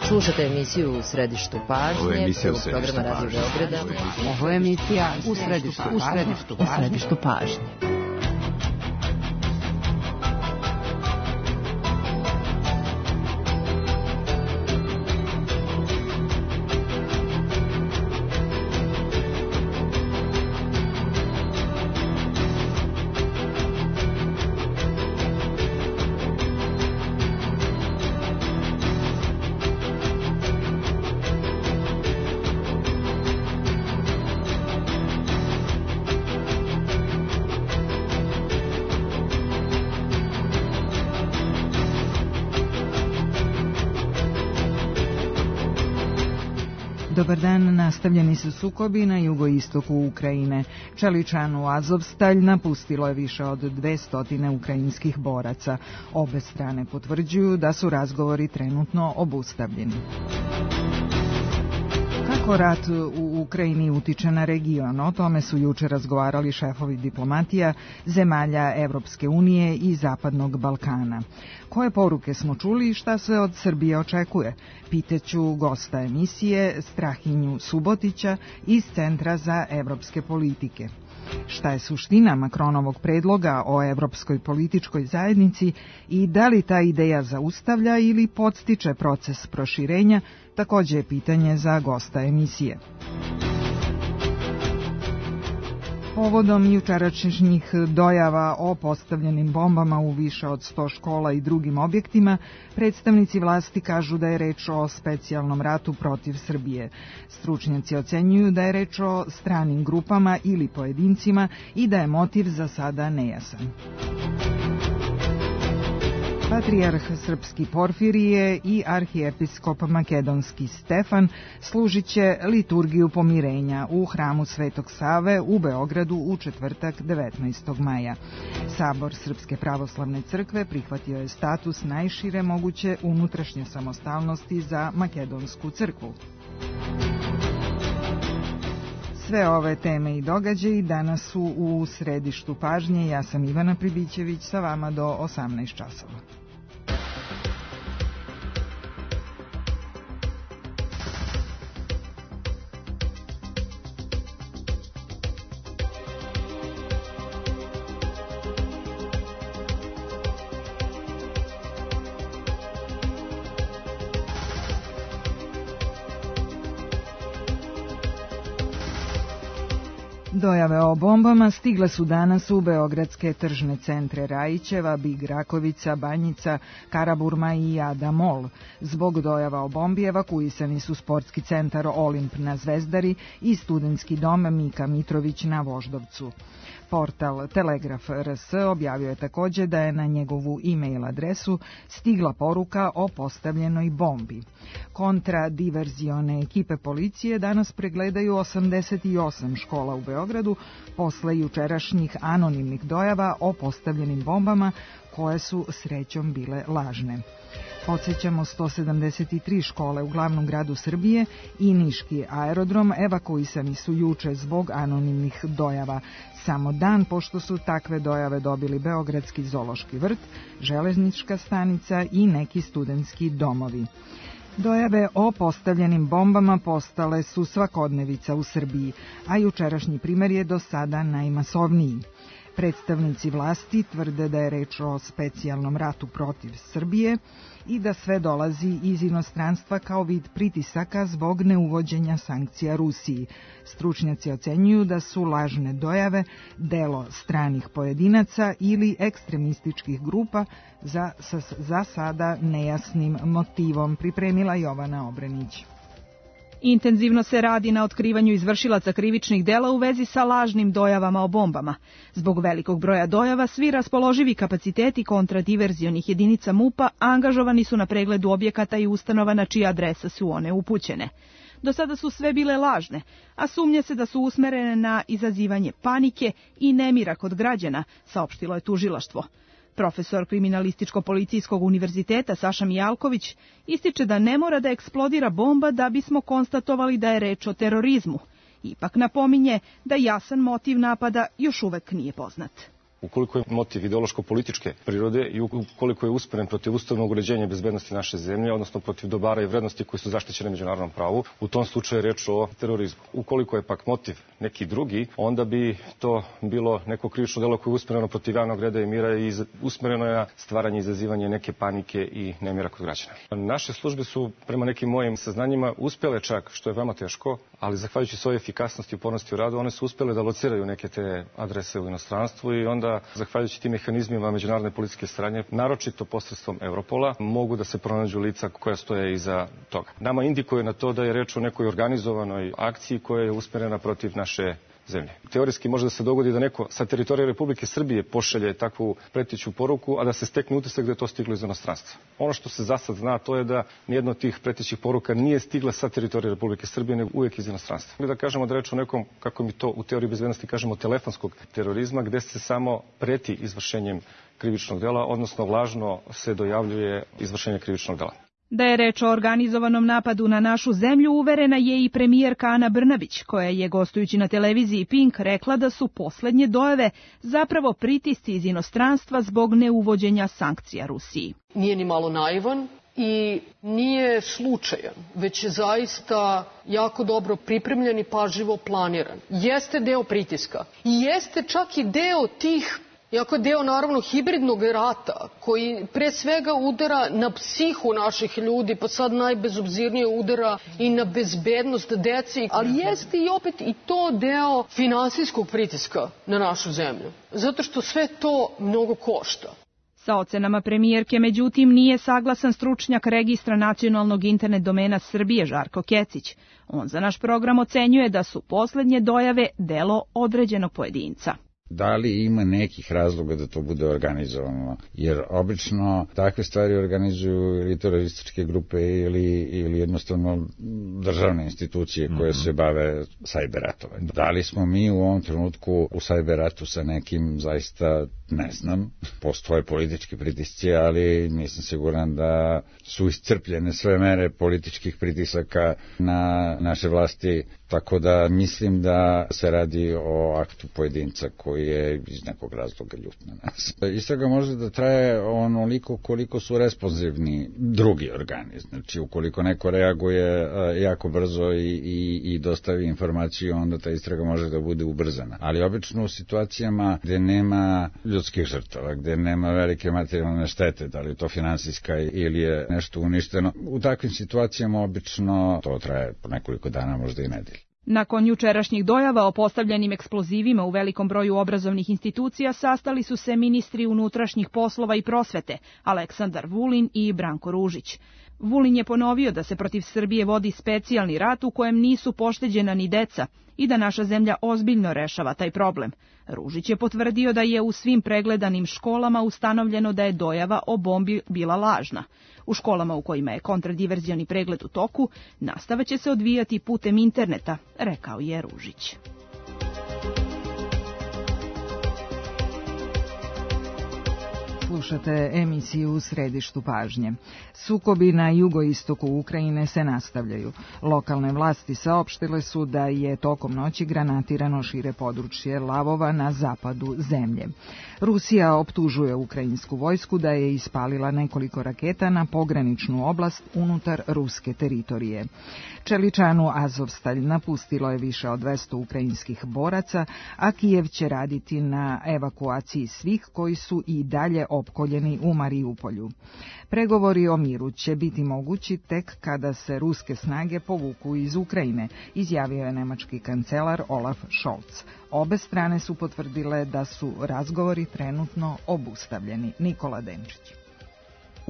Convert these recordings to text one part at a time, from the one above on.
Slušate emisiju U središtu pažnje, programa Radio Beograda. Ovo je emisija U središtu pažnje. Dobar dan, nastavljeni su sukobi na jugoistoku Ukrajine. Čeličanu Azovstalj napustilo je više od 200 ukrajinskih boraca. Obe strane potvrđuju da su razgovori trenutno obustavljeni. Kako rat u Ukrajini utiče na region? O tome su juče razgovarali šefovi diplomatija zemalja Evropske unije i Zapadnog Balkana. Koje poruke smo čuli i šta se od Srbije očekuje? Pitaću gosta emisije Strahinju Subotića iz Centra za evropske politike. Šta je suština Makronovog predloga o evropskoj političkoj zajednici i da li ta ideja zaustavlja ili podstiče proces proširenja, takođe je pitanje za gosta emisije. Povodom jučerašnjih dojava o postavljenim bombama u više od 100 škola i drugim objektima, predstavnici vlasti kažu da je reč o specijalnom ratu protiv Srbije. Stručnjaci ocenjuju da je reč o stranim grupama ili pojedincima i da je motiv za sada nejasan. Patrijarh srpski Porfirije i arhijepiskop makedonski Stefan služit će liturgiju pomirenja u hramu Svetog Save u Beogradu u četvrtak 19. maja. Sabor Srpske pravoslavne crkve prihvatio je status najšire moguće unutrašnje samostalnosti za makedonsku crkvu. Sve ove teme i događaji danas su u središtu pažnje. Ja sam Ivana Pribićević, sa vama do 18 časova. Dojave o bombama stigle su danas u beogradske tržne centre Rajićeva, Big Rakovica, Banjica, Karaburma i Ada Mall. Zbog dojava o bombi evakuisani su sportski centar Olimp na Zvezdari i studentski dom Mika Mitrović na Voždovcu. Portal Telegraf RS objavio je takođe da je na njegovu e-mail adresu stigla poruka o postavljenoj bombi. Kontradiverzione ekipe policije danas pregledaju 88 škola u Beogradu posle jučerašnjih anonimnih dojava o postavljenim bombama koje su srećom bile lažne. Podsjećamo, 173 škole u glavnom gradu Srbije i niški aerodrom evakuisani su juče zbog anonimnih dojava. Samo dan pošto su takve dojave dobili Beogradski zoološki vrt, železnička stanica i neki studentski domovi. Dojave o postavljenim bombama postale su svakodnevica u Srbiji, a jučerašnji primer je do sada najmasovniji. Predstavnici vlasti tvrde da je reč o specijalnom ratu protiv Srbije i da sve dolazi iz inostranstva kao vid pritisaka zbog neuvođenja sankcija Rusiji. Stručnjaci ocenjuju da su lažne dojave delo stranih pojedinaca ili ekstremističkih grupa za sada nejasnim motivom, pripremila Jovana Obrenić. Intenzivno se radi na otkrivanju izvršilaca krivičnih dela u vezi sa lažnim dojavama o bombama. Zbog velikog broja dojava, svi raspoloživi kapaciteti kontradiverzionih jedinica MUP-a angažovani su na pregledu objekata i ustanova na čija adresa su one upućene. Do sada su sve bile lažne, a sumnje se da su usmerene na izazivanje panike i nemira kod građana, saopštilo je tužilaštvo. Profesor Kriminalističko-policijskog univerziteta Saša Mijalković ističe da ne mora da eksplodira bomba da bismo konstatovali da je reč o terorizmu. Ipak napominje da jasan motiv napada još uvek nije poznat. Ukoliko je motiv ideološko-političke prirode i ukoliko je usmeren protiv ustavnog uređenja i bezbednosti naše zemlje, odnosno protiv dobara i vrednosti koji su zaštićene međunarodnom pravu, u tom slučaju je reč o terorizmu. Ukoliko je pak motiv neki drugi, onda bi to bilo neko krivično delo koje je usmereno protiv javnog reda i mira i usmereno je na stvaranje i izazivanje neke panike i nemira kod građana. Naše službe su, prema nekim mojim saznanjima, uspjele čak, što je veoma teško, ali zahvaljujući svojoj efikasnosti i upornosti u radu, one su uspjele da lociraju neke te adrese u inostranstvu i onda, zahvaljujući tim mehanizmima međunarodne policijske saradnje, naročito posredstvom Europola, mogu da se pronađu lica koja stoje iza toga. Nama indikuje na to da je reč o nekoj organizovanoj akciji koja je usmjerena protiv naše zemlje. Teorijski može da se dogodi da neko sa teritorije Republike Srbije pošalje takvu preteću poruku, a da se stekne utisak da je to stiglo iz inostranstva. Ono što se za sad zna, to je da nijedna od tih pretećih poruka nije stigla sa teritorije Republike Srbije, nego uvijek iz inostranstva. Ili da kažemo da reč o nekom, kako mi to u teoriji bezbednosti kažemo, telefonskog terorizma, gde se samo preti izvršenjem krivičnog dela, odnosno lažno se dojavljuje izvršenje krivičnog dela. Da je reč o organizovanom napadu na našu zemlju uverena je i premijerka Ana Brnabić, koja je gostujući na televiziji Pink rekla da su poslednje dojave zapravo pritisci iz inostranstva zbog neuvođenja sankcija Rusiji. Nije ni malo naivan i nije slučajan, već je zaista jako dobro pripremljen i pažljivo planiran. Jeste deo pritiska i jeste čak i deo tih, iako je deo naravno hibridnog rata koji pre svega udara na psihu naših ljudi, pa sad najbezobzirnije udara i na bezbednost deci, ali jeste i opet i to deo finansijskog pritiska na našu zemlju, zato što sve to mnogo košta. Sa ocenama premijerke, međutim, nije saglasan stručnjak registra nacionalnog internet domena Srbije Žarko Kecić. On za naš program ocenjuje da su poslednje dojave delo određenog pojedinca. Da li ima nekih razloga da to bude organizovano? Jer obično takve stvari organizuju ili terorističke grupe ili jednostavno državne institucije koje se bave sajberatovanjem. Da li smo mi u ovom trenutku u sajberatu sa nekim, zaista ne znam, postoje politički pritisci, ali nisam siguran da su iscrpljene sve mere političkih pritisaka na naše vlasti, tako da mislim da se radi o aktu pojedinca koji je iz nekog razloga ljut na nas. Istraga može da traje onoliko koliko su responsivni drugi organi. Znači, ukoliko neko reaguje jako brzo i dostavi informaciju, onda ta istraga može da bude ubrzana. Ali obično u situacijama gde nema ljudskih žrtava, gde nema velike materijalne štete, da li to finansijska ili je nešto uništeno, u takvim situacijama obično to traje po nekoliko dana, možda i nedelje. Nakon jučerašnjih dojava o postavljenim eksplozivima u velikom broju obrazovnih institucija sastali su se ministri unutrašnjih poslova i prosvete Aleksandar Vulin i Branko Ružić. Vulin je ponovio da se protiv Srbije vodi specijalni rat u kojem nisu pošteđena ni deca i da naša zemlja ozbiljno rešava taj problem. Ružić je potvrdio da je u svim pregledanim školama ustanovljeno da je dojava o bombi bila lažna. U školama u kojima je kontradiverzioni pregled u toku, nastava će se odvijati putem interneta, rekao je Ružić. Slušate emisiju U središtu pažnje. Sukobi na jugoistoku Ukrajine se nastavljaju. Lokalne vlasti saopštile su da je tokom noći granatirano šire područje Lavova na zapadu zemlje. Rusija optužuje ukrajinsku vojsku da je ispalila nekoliko raketa na pograničnu oblast unutar ruske teritorije. Čeličanu Azovstalj napustilo je više od 200 ukrajinskih boraca, a Kijev će raditi na evakuaciji svih koji su i dalje opkoljeni u Mariupolju. Pregovori o miru će biti mogući tek kada se ruske snage povuku iz Ukrajine, izjavio je nemački kancelar Olaf Scholz. Obe strane su potvrdile da su razgovori trenutno obustavljeni. Nikola Denčić.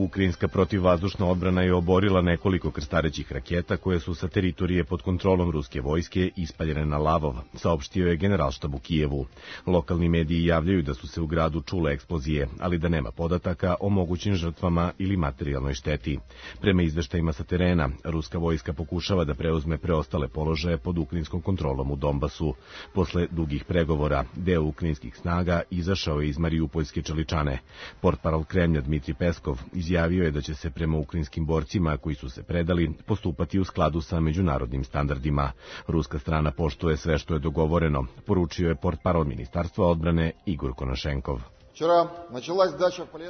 Ukrajinska protivvazdušna odbrana je oborila nekoliko krstarećih raketa koje su sa teritorije pod kontrolom ruske vojske ispaljene na Lavov, saopštio je generalštab u Kijevu. Lokalni mediji javljaju da su se u gradu čule eksplozije, ali da nema podataka o mogućim žrtvama ili materijalnoj šteti. Prema izveštajima sa terena, ruska vojska pokušava da preuzme preostale položaje pod ukrajinskom kontrolom u Donbasu. Posle dugih pregovora, deo ukrajinskih snaga izašao je iz Mariupoljske Čeličane. Portparol Kremlja Dmitri Peskov izjavio izjavio je da će se prema ukrajinskim borcima koji su se predali postupati u skladu sa međunarodnim standardima. Ruska strana poštuje sve što je dogovoreno, poručio je portparol Ministarstva odbrane Igor Konašenkov.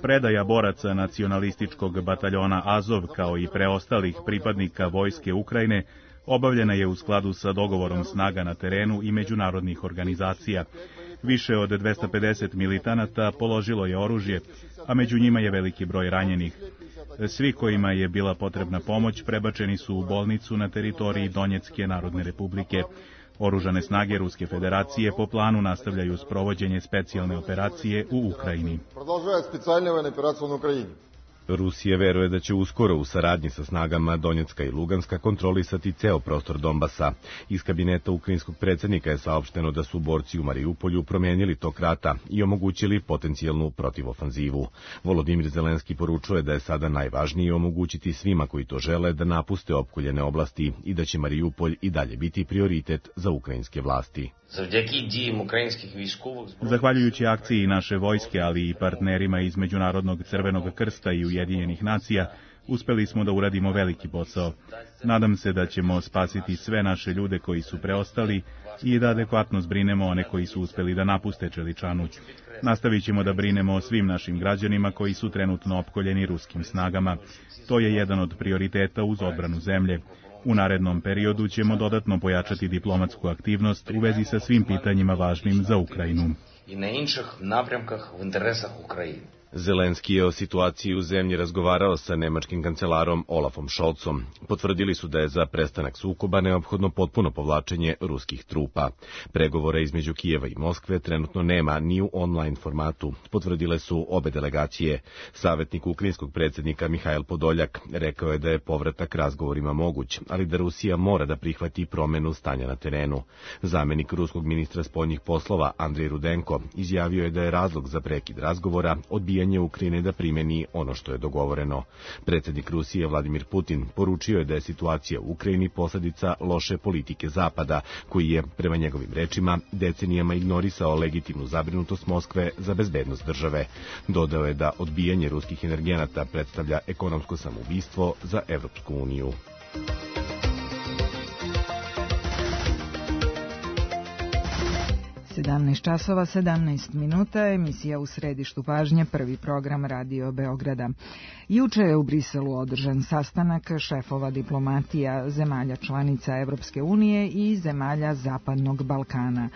Predaja boraca nacionalističkog bataljona Azov kao i preostalih pripadnika vojske Ukrajine obavljena je u skladu sa dogovorom snaga na terenu i međunarodnih organizacija. Više od 250 militanata položilo je oružje, a među njima je veliki broj ranjenih. Svi kojima je bila potrebna pomoć prebačeni su u bolnicu na teritoriji Donjecke Narodne Republike. Oružane snage Ruske federacije po planu nastavljaju sprovođenje specijalne operacije u Ukrajini. Rusija veruje da će uskoro u saradnji sa snagama Donjecka i Luganska kontrolisati ceo prostor Donbasa. Iz kabineta ukrajinskog predsjednika je saopšteno da su borci u Mariupolju promijenili tok rata i omogućili potencijalnu protivofanzivu. Volodimir Zelenski poručuje da je sada najvažnije omogućiti svima koji to žele da napuste opkoljene oblasti i da će Mariupolj i dalje biti prioritet za ukrajinske vlasti. Zahvaljujući akciji naše vojske, ali i partnerima iz Međunarodnog crvenog krsta i Ujedinjenih nacija, uspeli smo da uradimo veliki posao. Nadam se da ćemo spasiti sve naše ljude koji su preostali i da adekvatno zbrinemo one koji su uspeli da napuste Čeličanu. Nastavit ćemo da brinemo o svim našim građanima koji su trenutno opkoljeni ruskim snagama. To je jedan od prioriteta uz odbranu zemlje. U narednom periodu ćemo dodatno pojačati diplomatsku aktivnost u vezi sa svim pitanjima važnim za Ukrajinu. Zelenski je o situaciji u zemlji razgovarao sa nemačkim kancelarom Olafom Scholzom. Potvrdili su da je za prestanak sukoba neophodno potpuno povlačenje ruskih trupa. Pregovore između Kijeva i Moskve trenutno nema ni u online formatu, potvrdile su obe delegacije. Savjetnik ukrajinskog predsjednika Mihajl Podoljak rekao je da je povratak razgovorima moguć, ali da Rusija mora da prihvati promjenu stanja na terenu. Zamenik ruskog ministra spoljnih poslova Andrej Rudenko izjavio je da je razlog za prekid razgovora odbijanje Ukrajine da primeni ono što je dogovoreno. Predsjednik Rusije Vladimir Putin poručio je da je situacija u Ukrajini posljedica loše politike Zapada, koji je, prema njegovim rečima, decenijama ignorisao legitimnu zabrinutost Moskve za bezbednost države. Dodao je da odbijanje ruskih energenata predstavlja ekonomsko samoubistvo za Evropsku uniju. 17 časova 17 minuta, emisija U središtu pažnje, prvi program Radio Beograda. Juče je u Briselu održan sastanak šefova diplomatija zemalja članica Evropske unije i zemalja Zapadnog Balkana.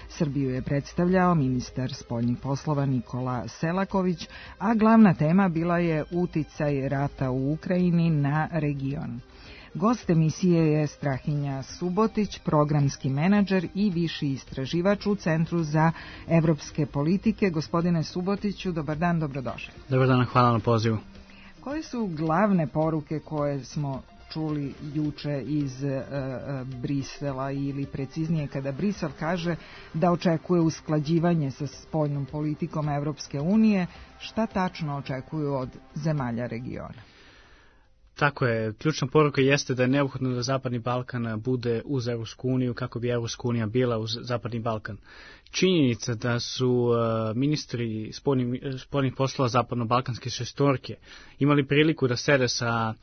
Srbiju je predstavljao ministar spoljnih poslova Nikola Selaković, a glavna tema bila je uticaj rata u Ukrajini na region. Gost emisije je Strahinja Subotić, programski menadžer i viši istraživač u Centru za evropske politike. Gospodine Subotiću, dobar dan, dobrodošli. Dobar dan, hvala na pozivu. Koje su glavne poruke koje smo čuli juče iz Brisela, ili preciznije kada Brisel kaže da očekuje usklađivanje sa spoljnom politikom Evropske unije, šta tačno očekuju od zemalja regiona? Tako je, ključna poruka jeste da je neophodno da Zapadni Balkan bude uz Evropsku uniju kako bi Evropska unija bila uz Zapadni Balkan. Činjenica da su ministri spoljnih poslova Zapadno-Balkanske šestorke imali priliku da sede sa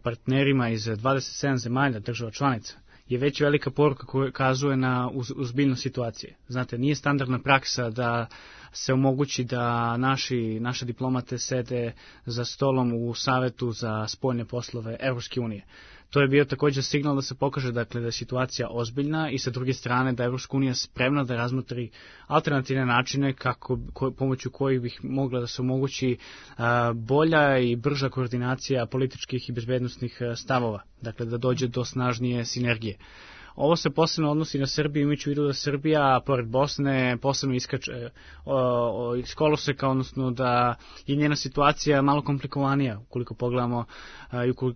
partnerima iz 27 zemalja država članica je već velika poruka koja kazuje na ozbiljnost situacije. Znate, nije standardna praksa da se omogući da naše diplomate sede za stolom u Savetu za spoljne poslove Evropske unije. To je bio također signal da se pokaže da je situacija ozbiljna i sa druge strane da je Evropska unija spremna da razmotri alternativne načine pomoću kojih bih mogla da se omogući bolja i brža koordinacija političkih i bezbednosnih stavova, dakle da dođe do snažnije sinergije. Ovo se posebno odnosi na Srbiju, imajući u vidu da Srbija, pored Bosne, posebno iskače iz koloseka, odnosno da je njena situacija malo komplikovanija, ukoliko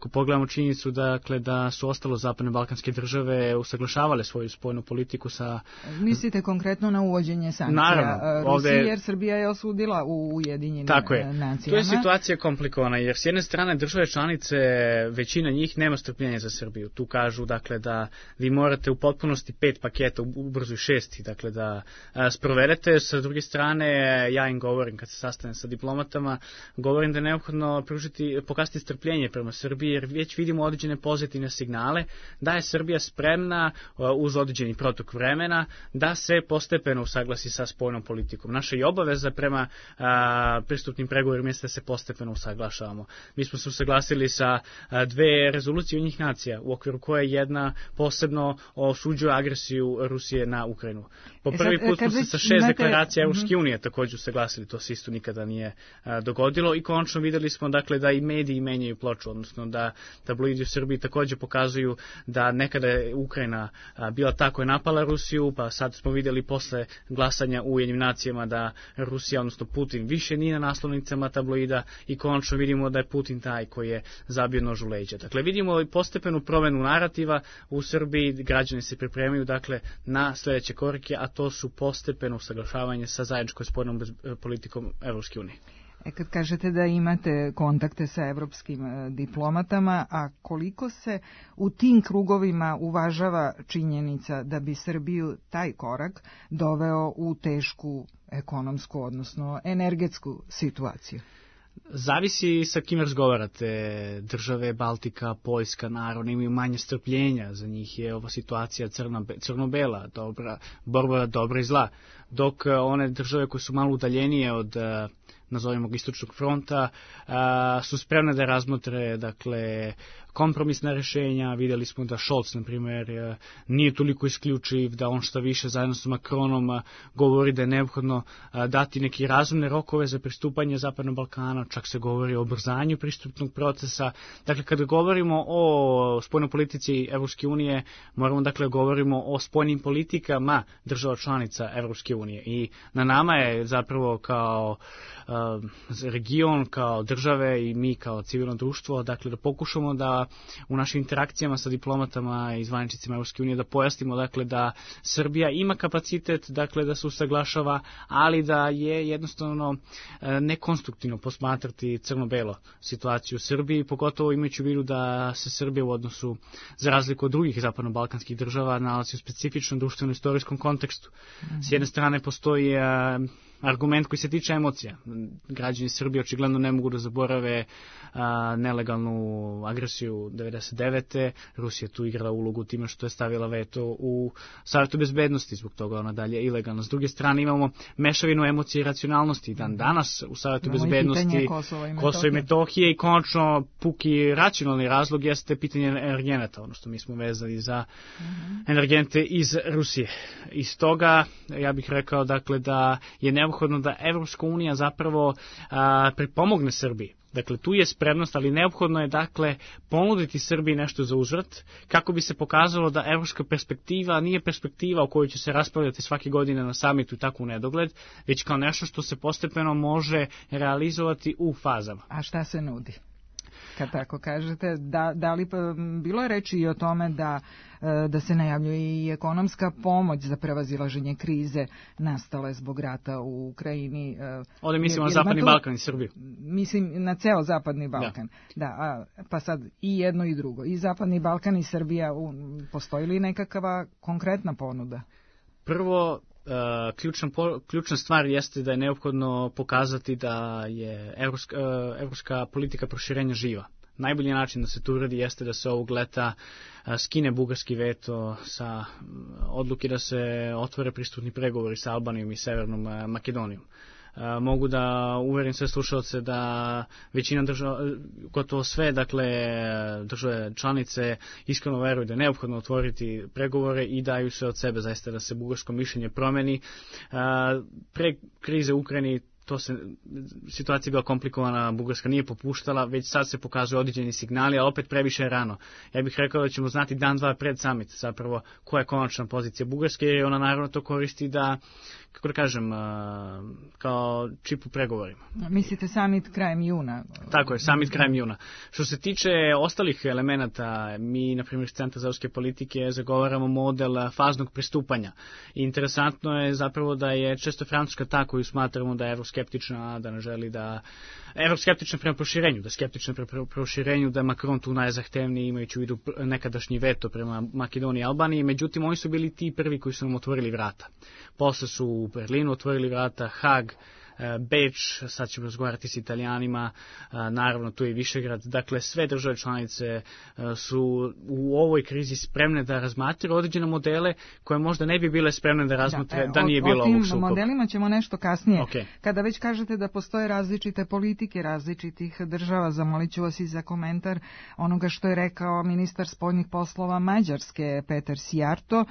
pogledamo činjenicu da su ostalo zapadne balkanske države usaglašavale svoju spoljnu politiku sa... Mislite konkretno na uvođenje sankcija Rusije, jer Srbija je osudila u Ujedinjenim nacijama? Tu je situacija komplikovana, jer s jedne strane države članice, većina njih nema strpljenja za Srbiju. Tu kažu da vi morate morate u potpunosti 5 paketa, ubrzo i 6, dakle da sprovedete. Sa druge strane, ja im govorim kad se sastanem sa diplomatama, govorim da je neophodno pokazati strpljenje prema Srbiji, jer već vidimo određene pozitivne signale da je Srbija spremna uz određeni protok vremena da se postepeno usaglasi sa spoljnom politikom. Naša i obaveza prema pristupnim pregovorima jeste da se postepeno usaglašavamo. Mi smo se usaglasili sa 2 rezolucije Ujedinjenih nacija, u okviru koje jedna posebno osuđuje agresiju Rusije na Ukrajinu. Po prvi put smo se sa 6 deklaracija Evropske unije također usaglasili, to se isto nikada nije dogodilo, i konačno videli smo dakle da i mediji menjaju ploču, odnosno da tabloidi u Srbiji također pokazuju da nekada je Ukrajina bila ta koja je napala Rusiju, pa sad smo vidjeli posle glasanja u Ujedinjenim nacijama da Rusija, odnosno Putin, više nije na naslovnicama tabloida i konačno vidimo da je Putin taj koji je zabio nož u leđa. Dakle, vidimo i postepenu promenu narativa u Srbiji, građani se pripremaju dakle na sljedeće korake, a to su postepeno usaglašavanje sa zajedničkom spoljnom politikom Evropske unije. Kad kažete da imate kontakte sa evropskim diplomatama, a koliko se u tim krugovima uvažava činjenica da bi Srbiju taj korak doveo u tešku ekonomsku, odnosno energetsku situaciju? Zavisi sa kim razgovarate. Države Baltika, Poljska, naravno imaju manje strpljenja, za njih je ova situacija crno-bela, borba dobra i zla, dok one države koje su malo udaljenije od nazovimo ga istočnog fronta, su spremne da razmotre dakle kompromisna rješenja. Vidjeli smo da Scholz, na primjer, nije toliko isključiv, da on šta više zajedno sa Macronom govori da je neophodno dati neki razumne rokove za pristupanje Zapadnog Balkana, čak se govori o ubrzanju pristupnog procesa. Dakle, kada govorimo o spoljnoj politici Evropske unije, moramo dakle govorimo o spoljnim politikama država članica Evropske unije i na nama je zapravo kao region, kao države i mi kao civilno društvo, dakle da pokušamo da u našim interakcijama sa diplomatama i zvaničnicima Evropske unije da pojasnimo dakle da Srbija ima kapacitet dakle da se usaglašava, ali da je jednostavno nekonstruktivno posmatrati crno-belo situaciju u Srbiji, pogotovo imajući u vidu da se Srbija u odnosu za razliku od drugih zapadno-balkanskih država nalazi u specifičnom društveno-istorijskom kontekstu. S jedne strane postoji argument koji se tiče emocija. Građani Srbije očigledno ne mogu da zaborave nelegalnu agresiju 99. Rusija tu igrala ulogu time što je stavila veto u Savetu bezbednosti, zbog toga ona dalje ilegalna. S druge strane imamo mešavinu emocije i racionalnosti. Danas u Savetu bezbednosti Kosova i Metohije i konačno puki racionalni razlog jeste pitanje energenata, odnosno mi smo vezani za energente iz Rusije. Iz toga ja bih rekao dakle da je neophodno da Evropska unija zapravo pripomogne Srbiji. Dakle, tu je spremnost, ali neophodno je dakle ponuditi Srbiji nešto za uzvrat, kako bi se pokazalo da evropska perspektiva nije perspektiva o kojoj će se raspravljati svake godine na samitu i tako u nedogled, već kao nešto što se postepeno može realizovati u fazama. A šta se nudi? Kad tako kažete, da li bilo je reči i o tome da se najavljuje i ekonomska pomoć za prevazilaženje krize nastale zbog rata u Ukrajini? Ovdje mislimo na Zapadni Balkan i Srbiju. Mislim na ceo Zapadni Balkan. Da, pa sad i jedno i drugo. I Zapadni Balkan i Srbija, postoji li nekakva konkretna ponuda? Prvo, ključna stvar jeste da je neophodno pokazati da je evropska politika proširenja živa. Najbolji način da se to uradi jeste da se ovog leta skine bugarski veto sa odluke da se otvore pristupni pregovori sa Albanijom i Severnom Makedonijom. Mogu da uverim sve slušalce da većina država, gotovo sve, dakle, države članice iskreno veruju da je neophodno otvoriti pregovore i daju se od sebe zaista da se bugarsko mišljenje promeni. Pre krize u Ukrajini situacija je bila komplikovana, Bugarska nije popuštala, već sad se pokazuju određeni signali, a opet previše je rano. Ja bih rekao da ćemo znati dan, dva pred summit zapravo koja je konačna pozicija Bugarske, jer ona naravno to koristi da, kako da kažem, kao čip u pregovorima. Mislite summit krajem juna? Tako je, summit krajem juna. Što se tiče ostalih elemenata, mi, na primjer, iz Centra za evropske politike zagovaramo model faznog pristupanja. I interesantno je zapravo da je često Francuska ta koju smatramo da je Evropska evroskeptična, da ne želi da evroskeptična prema proširenju, da skeptična prema proširenju, da je Macron tu najzahtevniji, imajući u vidu nekadašnji veto prema Makedoniji i Albaniji, međutim oni su bili ti prvi koji su nam otvorili vrata. Posle su u Berlinu otvorili vrata, Hag, Beč, sad ćemo razgovarati s Italijanima, naravno tu je Višegrad, dakle sve države članice su u ovoj krizi spremne da razmatraju određene modele koje možda ne bi bile spremne da razmatre da nije bilo ovog sukoba. O tim modelima ćemo nešto kasnije. Okay. Kada već kažete da postoje različite politike različitih država, zamolit ću vas i za komentar onoga što je rekao ministar spoljnih poslova Mađarske Peter Sijarto,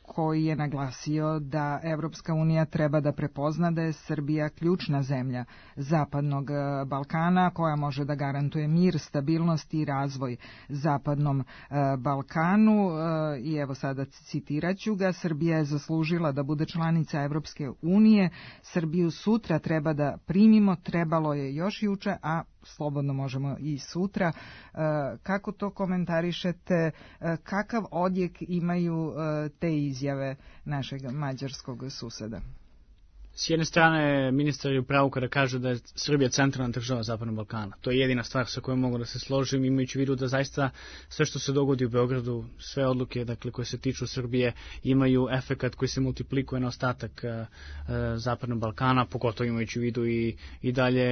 koji je naglasio da Evropska unija treba da prepozna da je Srbija ključna zemlja Zapadnog Balkana koja može da garantuje mir, stabilnost i razvoj Zapadnom Balkanu. I evo sada citiraću ga: Srbija je zaslužila da bude članica Evropske unije, Srbiju sutra treba da primimo, trebalo je još juče, a slobodno možemo i sutra. Kako to komentarišete, kakav odjek imaju te izjave našeg mađarskog suseda? S jedne strane, ministar je u pravu kada kaže da je Srbija centralna država Zapadnog Balkana. To je jedina stvar sa kojom mogu da se složim, imajući u vidu da zaista sve što se dogodi u Beogradu, sve odluke koje se tiču Srbije, imaju efekat koji se multiplikuje na ostatak Zapadnog Balkana, pogotovo imajući u vidu i dalje,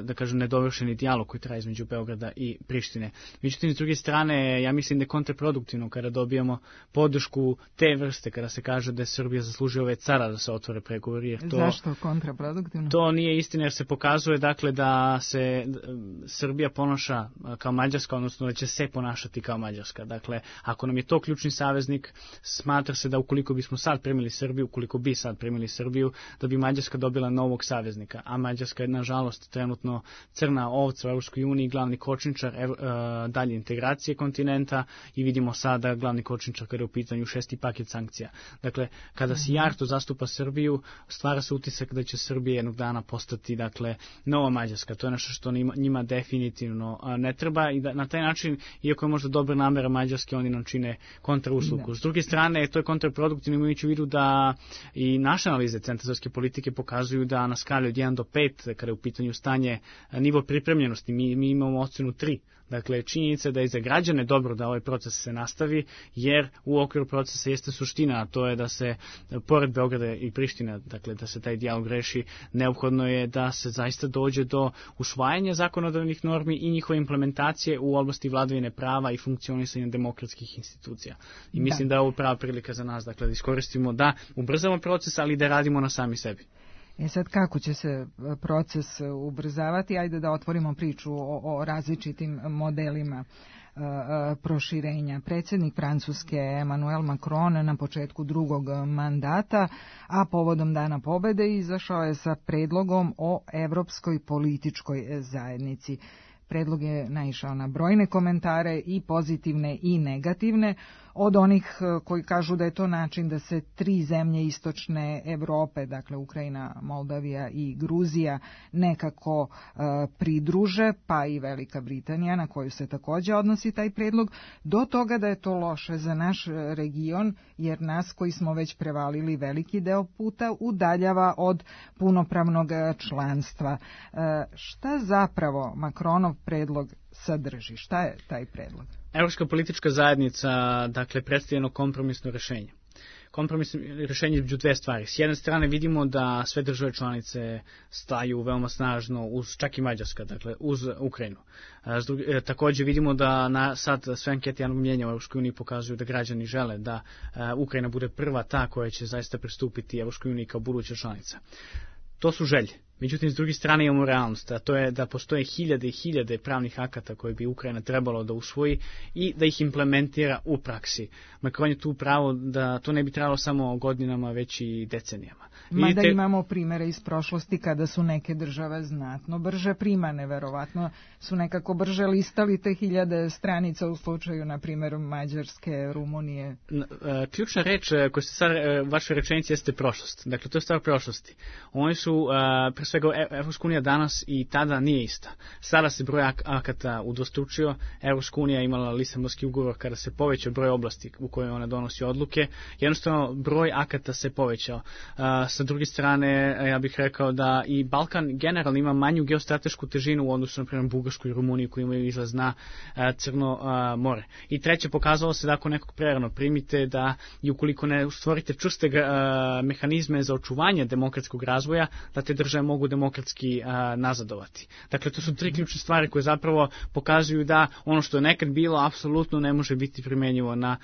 da kažem, nedovršeni dijalog koji traje između Beograda i Prištine. Međutim, s druge strane, ja mislim da je kontraproduktivno kada dobijamo podršku te vrste, kada se kaže da je Srbija zaslužila ove cara da se otvore pregovori. Zašto kontraproduktivno? To nije istina, jer se pokazuje dakle da se Srbija ponaša kao Mađarska, odnosno da će se ponašati kao Mađarska. Dakle, ako nam je to ključni saveznik, smatra se da ukoliko bismo sad primili Srbiju, da bi Mađarska dobila novog saveznika. A Mađarska je, nažalost, trenutno crna ovca u Evropskoj uniji, glavni kočničar dalje integracije kontinenta i vidimo sada glavni kočničar kada je u pitanju 6. paket sankcija. Dakle, kada Sijarto zastupa Srbiju, stvara se utisak da će Srbija jednog dana postati, dakle, nova Mađarska. To je nešto što njima definitivno ne treba i da na taj način, iako je možda dobra namera Mađarske, oni nam čine kontrauslugu. S druge strane, to je kontraproduktivno, imajući u vidu da i naše analize centralne politike pokazuju da na skali od 1 do 5, kada je u pitanju stanje, nivo pripremljenosti, mi imamo ocenu 3. Dakle, činjenica da je za građane dobro da ovaj proces se nastavi, jer u okviru procesa jeste suština, a to je da se, pored Beograda i Prištine, dakle, da se taj dijalog reši, neophodno je da se zaista dođe do usvajanja zakonodavnih normi i njihove implementacije u oblasti vladavine prava i funkcionisanja demokratskih institucija. I mislim da je ovo prava prilika za nas, dakle, da iskoristimo, da ubrzamo proces, ali da radimo na sami sebi. Sad kako će se proces ubrzavati? Ajde da otvorimo priču o različitim modelima proširenja. Predsjednik Francuske Emmanuel Macron na početku drugog mandata, a povodom Dana pobede, izašao je sa predlogom o Evropskoj političkoj zajednici. Predlog je naišao na brojne komentare, i pozitivne i negativne, od onih koji kažu da je to način da se 3 zemlje istočne Evrope, dakle Ukrajina, Moldavija i Gruzija, nekako pridruže, pa i Velika Britanija, na koju se također odnosi taj predlog, do toga da je to loše za naš region, jer nas koji smo već prevalili veliki deo puta udaljava od punopravnog članstva. Šta zapravo Macronov predlog sadrži? Šta je taj predlog? Evropska politička zajednica, dakle, predstavljeno kompromisno rešenje. Kompromisno rešenje između dve stvari. S jedne strane vidimo da sve države članice staju veoma snažno, čak i Mađarska, dakle, uz Ukrajinu. Također vidimo da sad sve ankete javnog mnjenja u Evropskoj uniji pokazuju da građani žele da Ukrajina bude prva ta koja će zaista pristupiti Evropskoj uniji kao buduća članica. To su želje. Međutim, s druge strane imamo realnost, a to je da postoje hiljade i hiljade pravnih akata koje bi Ukrajina trebalo da usvoji i da ih implementira u praksi. Macron je tu pravo da to ne bi trebalo samo godinama, već i decenijama. Mada imamo primere iz prošlosti kada su neke države znatno brže primane, verovatno su nekako brže listali te hiljade stranica u slučaju, na primjer, Mađarske, Rumunije. Ključna reč koja se sad vaše rečenici jeste prošlost. Dakle, to je stvar prošlosti. Oni su pre svega Evropska unija danas i tada nije ista. Sada se broj akata udvostručio, Evropska unija imala Lisabonski ugovor kada se povećao broj oblasti u kojoj ona donosi odluke, jednostavno broj akata se povećao. Sa druge strane, ja bih rekao da i Balkan generalno ima manju geostratešku težinu u odnosu na primjer Bugarsku i Rumuniju koji imaju izlaz na Crno more. I treće, pokazalo se da ako nekog prerano primite da i ukoliko ne stvorite čvrste mehanizme za očuvanje demokratskog razvoja, da te države mogu demokratski nazadovati. Dakle, to su tri ključne stvari koje zapravo pokazuju da ono što je nekad bilo apsolutno ne može biti primenjivo na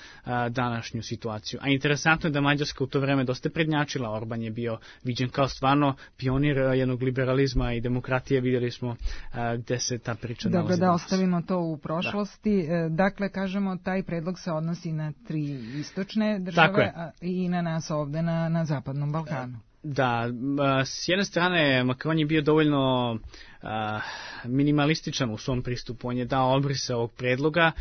današnju situaciju. A interesantno je da Mađarska u to vreme dosta prednjačila. Orban je bio viđen kao stvarno pionir jednog liberalizma i demokratije. Vidjeli smo gde se ta priča nalazi. Dobro, da ostavimo to u prošlosti. Da. Dakle, kažemo, taj predlog se odnosi na 3 istočne države i na nas ovde na Zapadnom Balkanu. Da, s jedne strane Macron je bio dovoljno minimalističan u svom pristupu. On je dao obrise ovog predloga,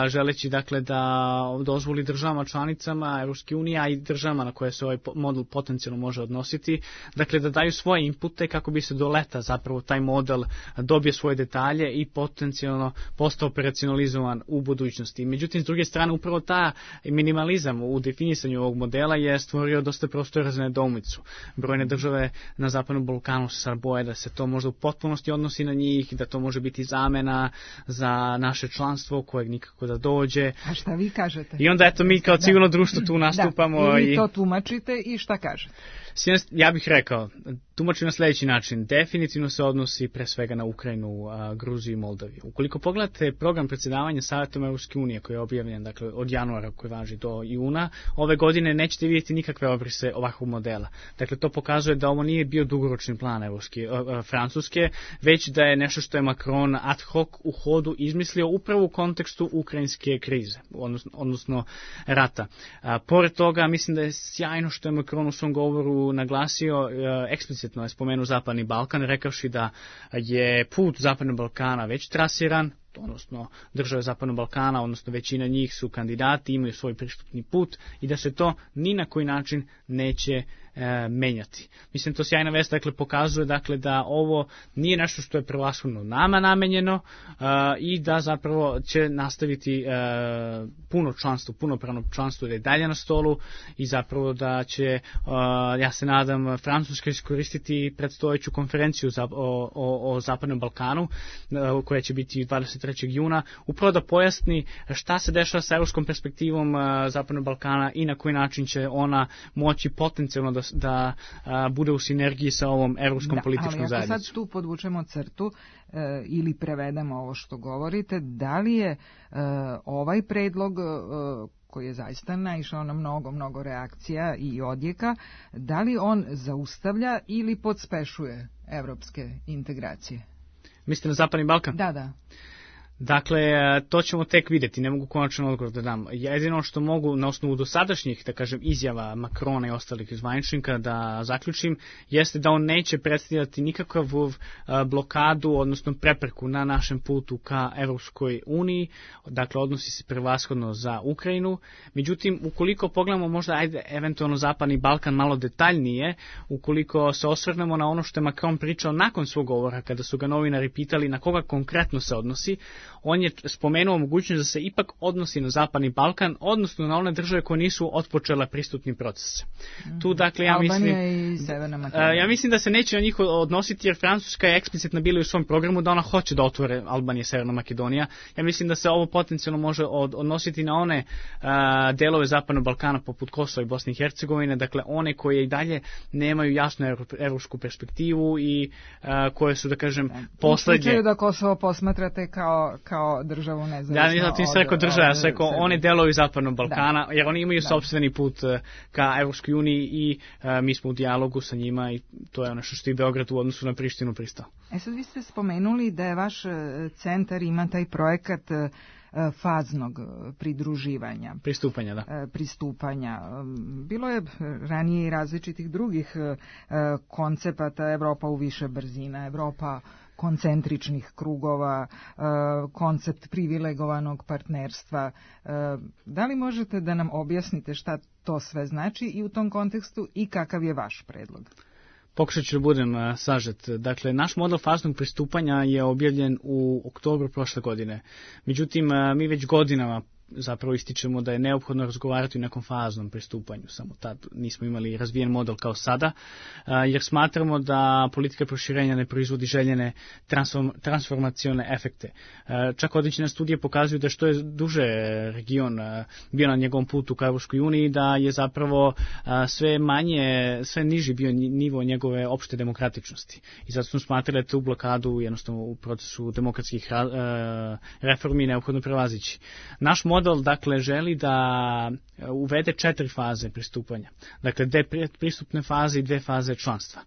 želeći dakle da dozvoli državama članicama Evropske unije, a i državama na koje se ovaj model potencijalno može odnositi, dakle da daju svoje inpute kako bi se do leta zapravo taj model dobije svoje detalje i potencijalno postao operacionalizovan u budućnosti. Međutim, s druge strane, upravo ta minimalizam u definisanju ovog modela je stvorio dosta prostora za nedoumicu. Brojne države na Zapadnom Balkanu se sad boje da se to možda u potpunosti odnosi na njih, da to može biti zamena za naše članstvo kojeg nikako da dođe. A šta vi kažete? I onda eto mi kao civilno društvo tu nastupamo. Da, i vi to tumačite i šta kažete? Ja bih rekao, tumačim na sljedeći način. Definitivno se odnosi pre svega na Ukrajinu, Gruziju i Moldaviju. Ukoliko pogledate program predsjedavanja Savjetom Evropske unije koji je objavljen dakle, od januara koji važi do juna, ove godine nećete vidjeti nikakve obrise ovakvog modela. Dakle, to pokazuje da ovo nije bio dugoročni plan Francuske, već da je nešto što je Macron ad hoc u hodu izmislio upravo u kontekstu ukrajinske krize, odnosno rata. Pored toga, mislim da je sjajno što je Macron u svom govoru naglasio, eksplicitno je spomenuo Zapadni Balkan, rekavši da je put Zapadnog Balkana već trasiran, odnosno države Zapadnog Balkana, odnosno većina njih su kandidati, imaju svoj pristupni put i da se to ni na koji način neće menjati. Mislim, to sjajna vest dakle, pokazuje dakle, da ovo nije nešto što je prevashodno nama namenjeno i da zapravo će nastaviti punopravno članstvo da je dalje na stolu i zapravo da će, ja se nadam, Francuska iskoristiti predstojeću konferenciju o Zapadnom Balkanu koja će biti 23. juna, upravo da pojasni šta se dešava sa evropskom perspektivom Zapadnog Balkana i na koji način će ona moći potencijalno da bude u sinergiji sa ovom evropskom političkom zajednicom. Ali ako sad tu podvučemo crtu ili prevedemo ovo što govorite, da li je ovaj predlog koji je zaista naišao na mnogo reakcija i odjeka, da li on zaustavlja ili podspešuje evropske integracije? Mislite na Zapadni Balkan? Da. Dakle, to ćemo tek vidjeti, ne mogu konačan odgovor da dam. Jedino što mogu na osnovu dosadašnjih, da kažem, izjava Macrona i ostalih zvaničnika da zaključim, jeste da on neće predstavljati nikakvu blokadu, odnosno prepreku na našem putu ka Evropskoj uniji, dakle odnosi se prevashodno za Ukrajinu. Međutim, ukoliko pogledamo možda eventualno Zapadni Balkan malo detaljnije, ukoliko se osvrnemo na ono što je Macron pričao nakon svog govora, kada su ga novinari pitali na koga konkretno se odnosi, on je spomenuo mogućnost da se ipak odnosi na Zapadni Balkan, odnosno na one države koje nisu otpočela pristupni proces. Tu, dakle, ja mislim da se neće na njih odnositi, jer Francuska je eksplicitno bila u svom programu da ona hoće da otvore Albanija i Severna Makedonija. Ja mislim da se ovo potencijalno može odnositi na one delove Zapadnog Balkana poput Kosova i Bosne i Hercegovine, dakle one koje i dalje nemaju jasnu evropsku perspektivu i koje su, da kažem, poslednje. U slučaju da Kosovo posmatrate kao državu nezavisno. Da, ti se rekao država, ja se rekao one delovi Zapadnog Balkana, jer oni imaju sopstveni put ka Evropskoj uniji i mi smo u dijalogu sa njima i to je ono što i Beograd u odnosu na Prištinu pristao. Sad vi ste spomenuli da je vaš centar ima taj projekat faznog pridruživanja. Pristupanja. Bilo je ranije i različitih drugih koncepata, Evropa u više brzina, Evropa koncentričnih krugova, koncept privilegovanog partnerstva. Da li možete da nam objasnite šta to sve znači i u tom kontekstu i kakav je vaš predlog? Pokušat ću da budem sažet. Dakle, naš model faznog pristupanja je objavljen u oktobru prošle godine. Međutim, mi već godinama zapravo ističemo da je neophodno razgovarati o nekom faznom pristupanju. Samo tad nismo imali razvijen model kao sada, jer smatramo da politika proširenja ne proizvodi željene transformacione efekte. Čak određene studije pokazuju da što je duže region bio na njegovom putu ka Evropskoj uniji, da je zapravo sve niži bio nivo njegove opšte demokratičnosti. I zato smo smatrali da tu blokadu jednostavno u procesu demokratskih reformi neophodno prevazići. Naš model dakle želi da uvede 4 faze pristupanja. Dakle, 2 pristupne faze i 2 faze članstva.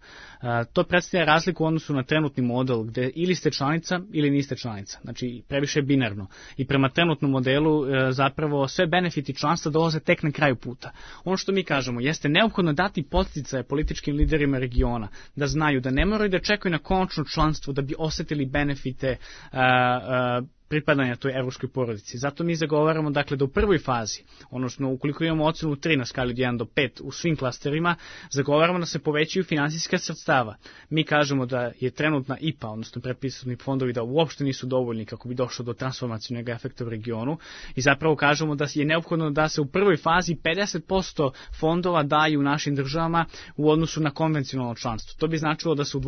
To predstavlja razliku u odnosu na trenutni model gde ili ste članica ili niste članica. Znači, previše binarno. I prema trenutnom modelu zapravo sve benefiti članstva dolaze tek na kraju puta. Ono što mi kažemo jeste neophodno dati podsticaje političkim liderima regiona da znaju da ne moraju da čekaju na konačno članstvo da bi osetili benefite pripadanja toj evropskoj porodici. Zato mi zagovaramo dakle da u prvoj fazi, odnosno ukoliko imamo ocenu 3 na skali od 1 do 5 u svim klasterima, zagovaramo da se povećaju finansijska sredstava. Mi kažemo da je trenutna IPA, odnosno pretpristupni fondovi, da uopšte nisu dovoljni kako bi došlo do transformacijnog efekta u regionu i zapravo kažemo da je neophodno da se u prvoj fazi 50% fondova daju našim državama u odnosu na konvencionalno članstvo. To bi značilo da se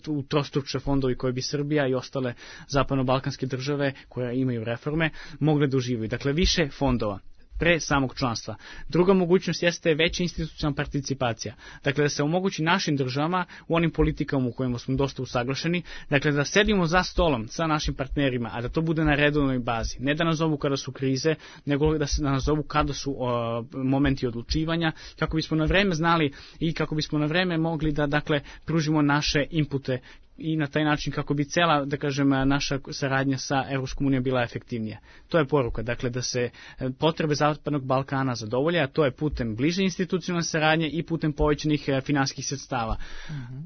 utrostruče fondovi koje bi Srbija i ostale zapadno-balkanske države koje imaju reforme, mogle da uživaju. Dakle, više fondova pre samog članstva. Druga mogućnost jeste veća institucionalna participacija. Dakle, da se omogući našim državama u onim politikama u kojima smo dosta usaglašeni, dakle, da sedimo za stolom sa našim partnerima, a da to bude na redovnoj bazi. Ne da nas zovu kada su krize, nego da se nas zovu kada su momenti odlučivanja, kako bismo na vreme znali i kako bismo na vreme mogli da, dakle, pružimo naše inpute i na taj način kako bi cela, da kažem, naša saradnja sa Evropskom unijom bila efektivnija. To je poruka, dakle, da se potrebe Zapadnog Balkana zadovolje, a to je putem bliže institucionalne saradnje i putem povećanih finansijskih sredstava.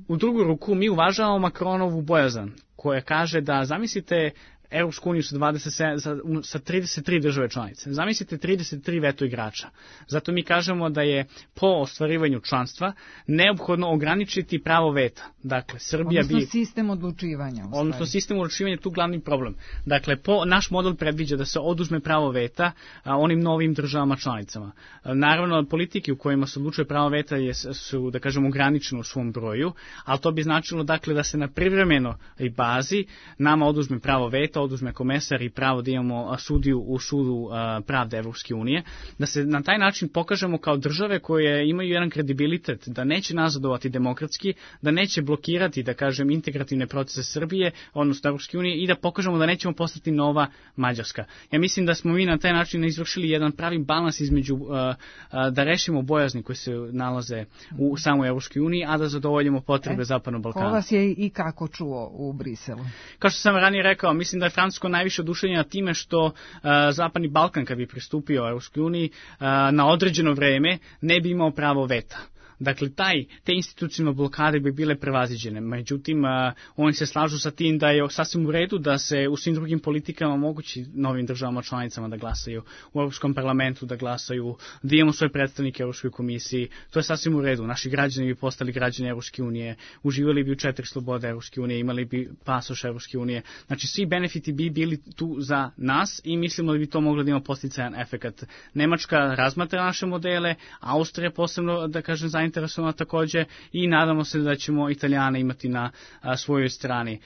U drugu ruku mi uvažavamo Macronovu bojazan, koja kaže da, zamislite, Evropsku uniju sa 33 države članice. Zamislite 33 veto igrača. Zato mi kažemo da je po ostvarivanju članstva neophodno ograničiti pravo veta. Dakle, Srbija odnosno sistem odlučivanja. Odnosno sistem odlučivanja je tu glavni problem. Dakle, naš model predviđa da se oduzme pravo veta onim novim državama članicama. Naravno, politike u kojima se odlučuje pravo veta su, da kažemo, ograničene u svom broju, ali to bi značilo, dakle, da se na privremenoj bazi nama oduzme pravo veta, oduzme komesar i pravo da imamo sudiju u sudu pravde Evropske unije, da se na taj način pokažemo kao države koje imaju jedan kredibilitet, da neće nazadovati demokratski, da neće blokirati, da kažem, integrativne procese Srbije, odnosno Evropske unije, i da pokažemo da nećemo postati nova Mađarska. Ja mislim da smo mi na taj način izvršili jedan pravi balans između da rešimo bojazni koji se nalaze u samoj Evropskoj uniji, a da zadovoljimo potrebe Zapadnog Balkana. Ko vas je i kako čuo u Briselu? Kao što sam ranije rekao, mislim da je Francusko najviše oduševljeno time što Zapadni Balkan, kad bi pristupio Evropskoj uniji, na određeno vreme ne bi imao pravo veta. Dakle, te institucionalne blokade bi bile prevaziđene. Međutim, oni se slažu sa tim da je sasvim u redu da se u svim drugim politikama omogući novim državama članicama da glasaju u Evropskom parlamentu, da glasaju, da imamo svoje predstavnike u Evropskoj komisiji. To je sasvim u redu. Naši građani bi postali građani Evropske unije, uživali bi u 4 slobode Evropske unije, imali bi pasoš Evropske unije. Znači, svi benefiti bi bili tu za nas i mislimo da bi to moglo da ima posticajan efekat. Nemačka razmatra naše modele, Austrija posebno, da kažem, zainteresovana takođe i nadamo se da ćemo Italijane imati na svojoj strani.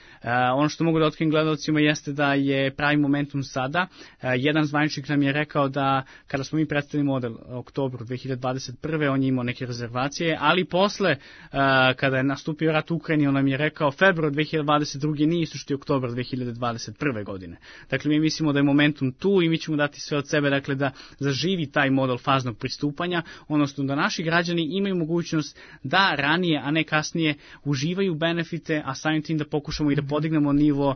Ono što mogu da otkrijem gledalcima jeste da je pravi momentum sada. Jedan zvaničnik nam je rekao da kada smo mi predstavili model u oktobru 2021. on je imao neke rezervacije, ali posle kada je nastupio rat u Ukrajini on nam je rekao februar 2022. nije isto što je oktobar 2021. godine. Dakle, mi mislimo da je momentum tu i mi ćemo dati sve od sebe, dakle, da zaživi taj model faznog pristupanja, odnosno da naši građani imaju mogućnost da ranije, a ne kasnije uživaju benefite, a samim tim da pokušamo i da podignemo nivo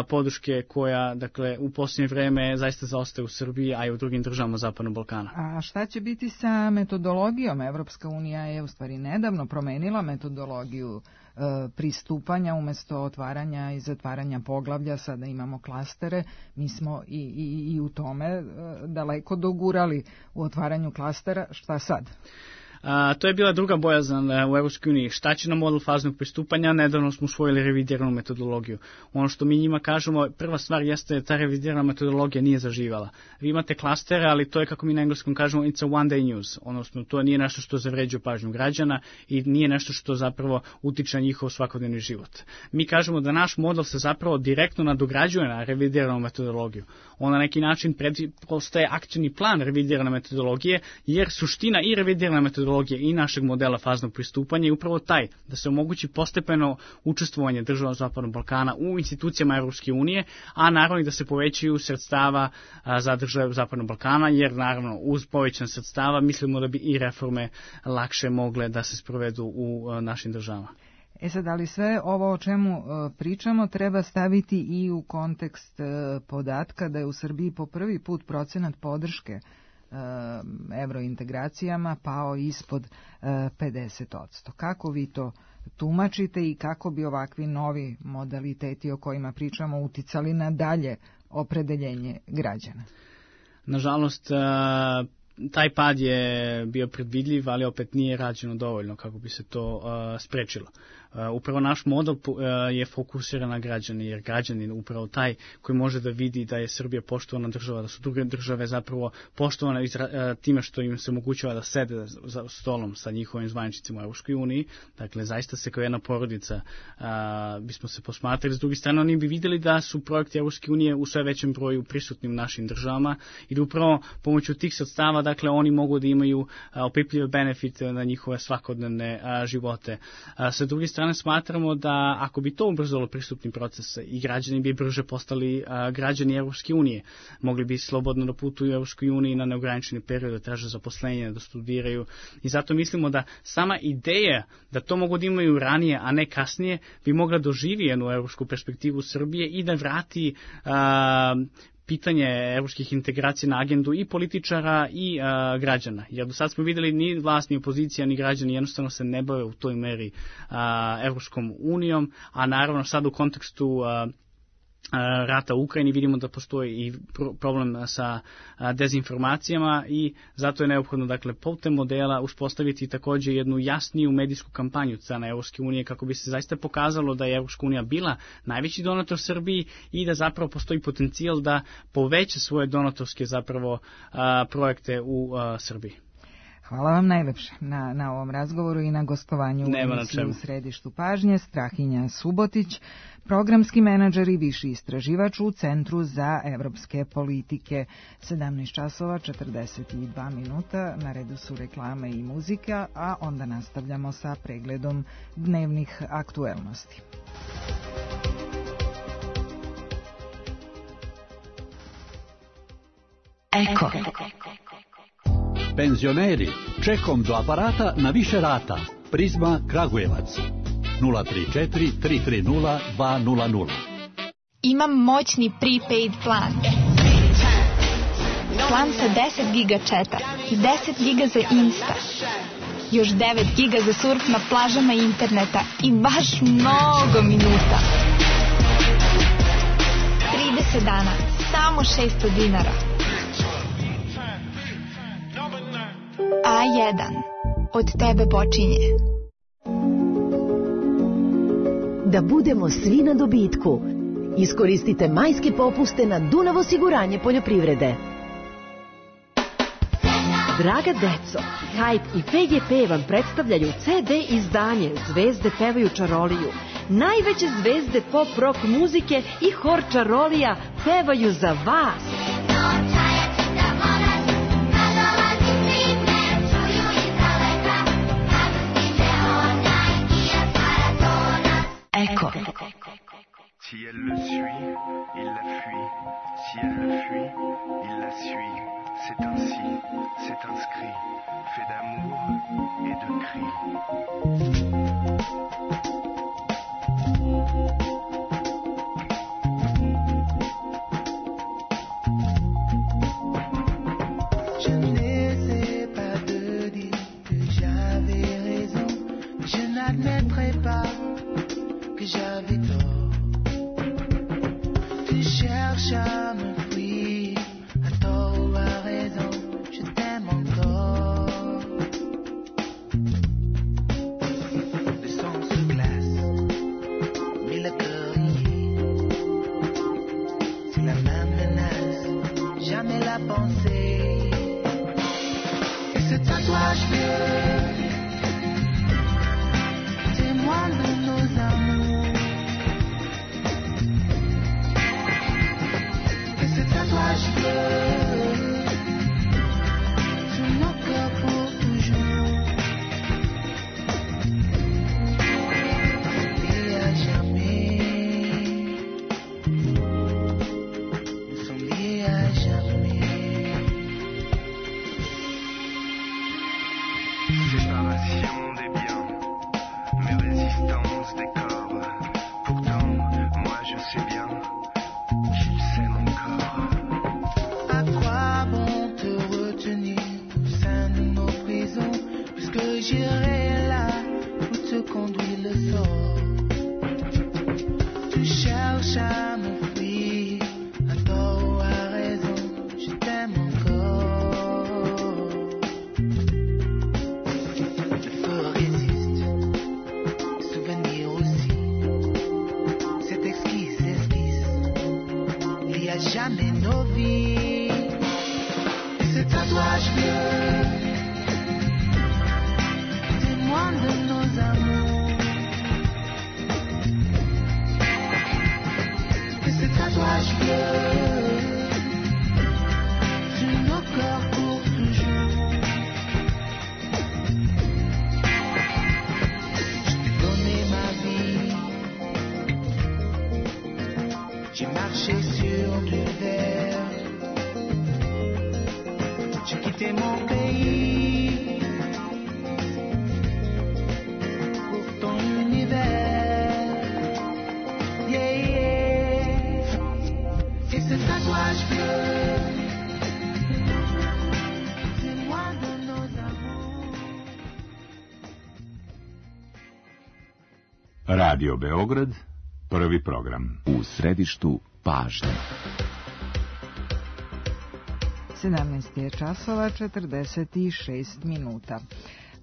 podrške koja, dakle, u posljednje vreme zaista zaostaje u Srbiji, a i u drugim državama Zapadnog Balkana. A šta će biti sa metodologijom? Evropska unija je u stvari nedavno promenila metodologiju pristupanja, umesto otvaranja i zatvaranja poglavlja, sada imamo klastere. Mi smo i u tome daleko dogurali u otvaranju klastera. Šta sad? To je bila druga bojazan u Evropskoj uniji. Šta će nam model faznog pristupanja? Nedavno smo usvojili revidiranu metodologiju. Ono što mi njima kažemo, prva stvar jeste da ta revidirana metodologija nije zaživala. Vi imate klastere, ali to je, kako mi na engleskom kažemo, it's a one day news. Odnosno, to nije nešto što zavređuje pažnju građana i nije nešto što zapravo utiče na njihov svakodnevni život. Mi kažemo da naš model se zapravo direktno nadograđuje na revidiranu metodologiju. On na neki način postaje akcioni plan revidirane metodologije, jer suština i revidirane metodologije i našeg modela faznog pristupanja je upravo taj da se omogući postepeno učestvovanje država Zapadnog Balkana u institucijama Evropske unije, a naravno i da se povećaju sredstava za države Zapadnog Balkana, jer naravno uz povećan sredstava mislimo da bi i reforme lakše mogle da se sprovedu u našim državama. Sad, ali sve ovo o čemu pričamo treba staviti i u kontekst podatka da je u Srbiji po prvi put procenat podrške evrointegracijama pao ispod 50%. Kako vi to tumačite i kako bi ovakvi novi modaliteti o kojima pričamo uticali na dalje opredeljenje građana? Nažalost, taj pad je bio predvidljiv, ali opet nije rađeno dovoljno kako bi se to sprečilo. Upravo naš model je fokusiran na građane, jer građanin upravo taj koji može da vidi da je Srbija poštovana država, da su druge države zapravo poštovane time što im se omogućava da sede za stolom sa njihovim zvaničnicima u Evropskoj uniji. Dakle, zaista se kao jedna porodica bismo se posmatrali. S druge strane, oni bi vidjeli da su projekti Evropske unije u sve većem broju prisutni u našim državama i da upravo pomoću tih sredstava, dakle, oni mogu da imaju opipljive benefite na njihove svakodnevne živote. Sa druge strane, smatramo da ako bi to ubrzalo pristupni proces i građani bi brže postali građani Evropske unije, mogli bi slobodno da putuju u Evropskoj uniji na neograničeni period, da traže zaposlenje, da studiraju i zato mislimo da sama ideja da to mogu da imaju ranije, a ne kasnije, bi mogla doživi jednu evropsku perspektivu Srbije i da vrati pitanje evropskih integracija na agendu i političara i građana. Jer do sad smo vidjeli ni vlast, ni opozicija, ni građani jednostavno se ne bave u toj meri Evropskom unijom, a naravno sad u kontekstu rata u Ukrajini vidimo da postoji i problem sa dezinformacijama i zato je neophodno, dakle, putem modela uspostaviti također jednu jasniju medijsku kampanju od strane Evropske unije kako bi se zaista pokazalo da je Evropska unija bila najveći donator Srbiji i da zapravo postoji potencijal da poveća svoje donatorske zapravo projekte u Srbiji. Hvala vam najlepše na ovom razgovoru i na gostovanju u emisiji U središtu pažnje. Strahinja Subotić, programski menadžer i viši istraživač u Centru za evropske politike. 17 časova 42 minuta, na redu su reklame i muzika, a onda nastavljamo sa pregledom dnevnih aktuelnosti. Eko. Penzioneri, čekom do aparata na više rata. Prizma Kragujevac. 034 330 200. Imam moćni prepaid plan. Plan sa 10 giga četa i 10 giga za Insta. Još 9 giga za surf na plažama interneta i baš mnogo minuta. 30 dana, samo 600 dinara. A1. Od tebe počinje. Da budemo svi na dobitku. Iskoristite majske popuste na Dunav osiguranje poljoprivrede. Draga deco, Hype i PGP vam predstavljaju CD izdanje Zvezde pevaju čaroliju. Najveće zvezde pop rock muzike i hor čarolija pevaju za vas. Eko. Si elle le suit, il la fuit. Si elle le fuit, il la suit. C'est ainsi, c'est inscrit, fait d'amour et de cris. Je n'essaie pas de dire que j'avais raison. Je n'admettrai pas que j'avais tort. Tu cherches à me fuir, à tort ou à raison, je t'aime encore. à penser. Et ce tatouage bleu, témoin de nos amours. Et ce tatouage bleu, sur nos cœurs pour toujours. Et à jamais, nous sommes liés à jamais. Séparation des biens, mais résistance des corps. Pourtant, moi je sais bien qu'il s'aime encore. À quoi bon te retenir au sein de nos prisons, puisque j'irai là où te conduit le sort. Tu cherches à me fuir, à tort ou à raison, je t'aime encore. Le feu résiste, souvenir aussi, cette exquise esquisse, il y a jamais nos vies. Et ce tatouage bleu, témoin de nos amours. Et ce tatouage bleu, sur nos corps pour toujours. Je t'ai donné ma vie, j'ai marché sur du verre. J'ai quitté mon pays pour ton univers. Yeah, yeah. Et ce tatouage bleu, c'est moi de nos amours. Radio Beograd, prvi program. U središtu pažnje. 17 je časova 46 minuta.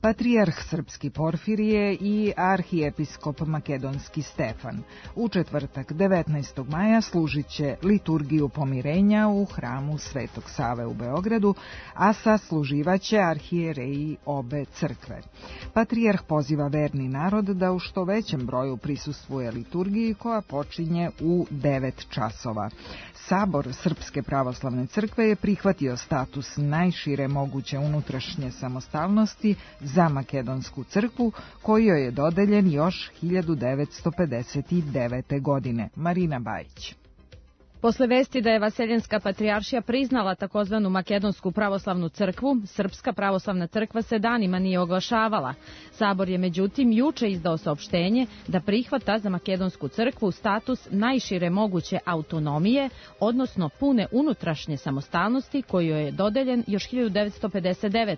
Patrijarh srpski Porfirije i arhijepiskop makedonski Stefan u četvrtak 19. maja služit će liturgiju pomirenja u hramu Svetog Save u Beogradu, a sasluživaće arhijereji obe crkve. Patrijarh poziva verni narod da u što većem broju prisustvuje liturgiji koja počinje u 9 časova. Sabor Srpske pravoslavne crkve je prihvatio status najšire moguće unutrašnje samostalnosti za makedonsku crkvu, koji joj je dodeljen još 1959. godine. Marina Bajić. Posle vesti da je Vaseljenska patrijaršija priznala takozvanu Makedonsku pravoslavnu crkvu, Srpska pravoslavna crkva se danima nije oglašavala. Sabor je međutim juče izdao saopštenje da prihvata za Makedonsku crkvu status najšire moguće autonomije, odnosno pune unutrašnje samostalnosti koji joj je dodeljen još 1959.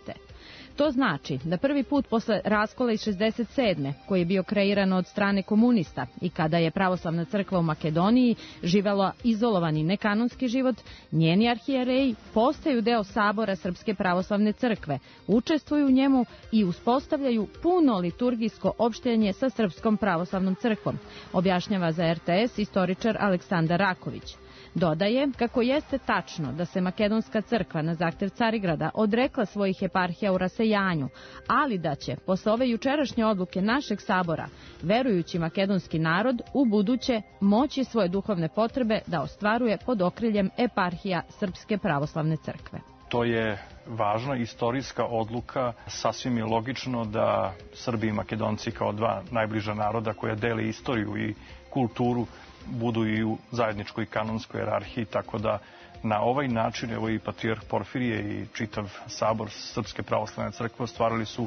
To znači da prvi put posle raskola iz 67. koji je bio kreiran od strane komunista i kada je pravoslavna crkva u Makedoniji živela izolovani nekanonski život, njeni arhijereji postaju deo Sabora Srpske pravoslavne crkve, učestvuju u njemu i uspostavljaju puno liturgijsko opštenje sa Srpskom pravoslavnom crkvom, objašnjava za RTS istoričar Aleksandar Raković. Dodaje kako jeste tačno da se Makedonska crkva na zahtev Carigrada odrekla svojih eparhija u rasejanju, ali da će, posle ove jučerašnje odluke našeg sabora, verujući makedonski narod u buduće moći svoje duhovne potrebe da ostvaruje pod okriljem eparhija Srpske pravoslavne crkve. To je važna istorijska odluka. Sasvim je logično da Srbi i Makedonci kao dva najbliža naroda koja dele istoriju i kulturu budu i u zajedničkoj kanonskoj jerarhiji, tako da na ovaj način evo i patrijarh Porfirije i čitav sabor Srpske pravoslavne crkve ostvarili su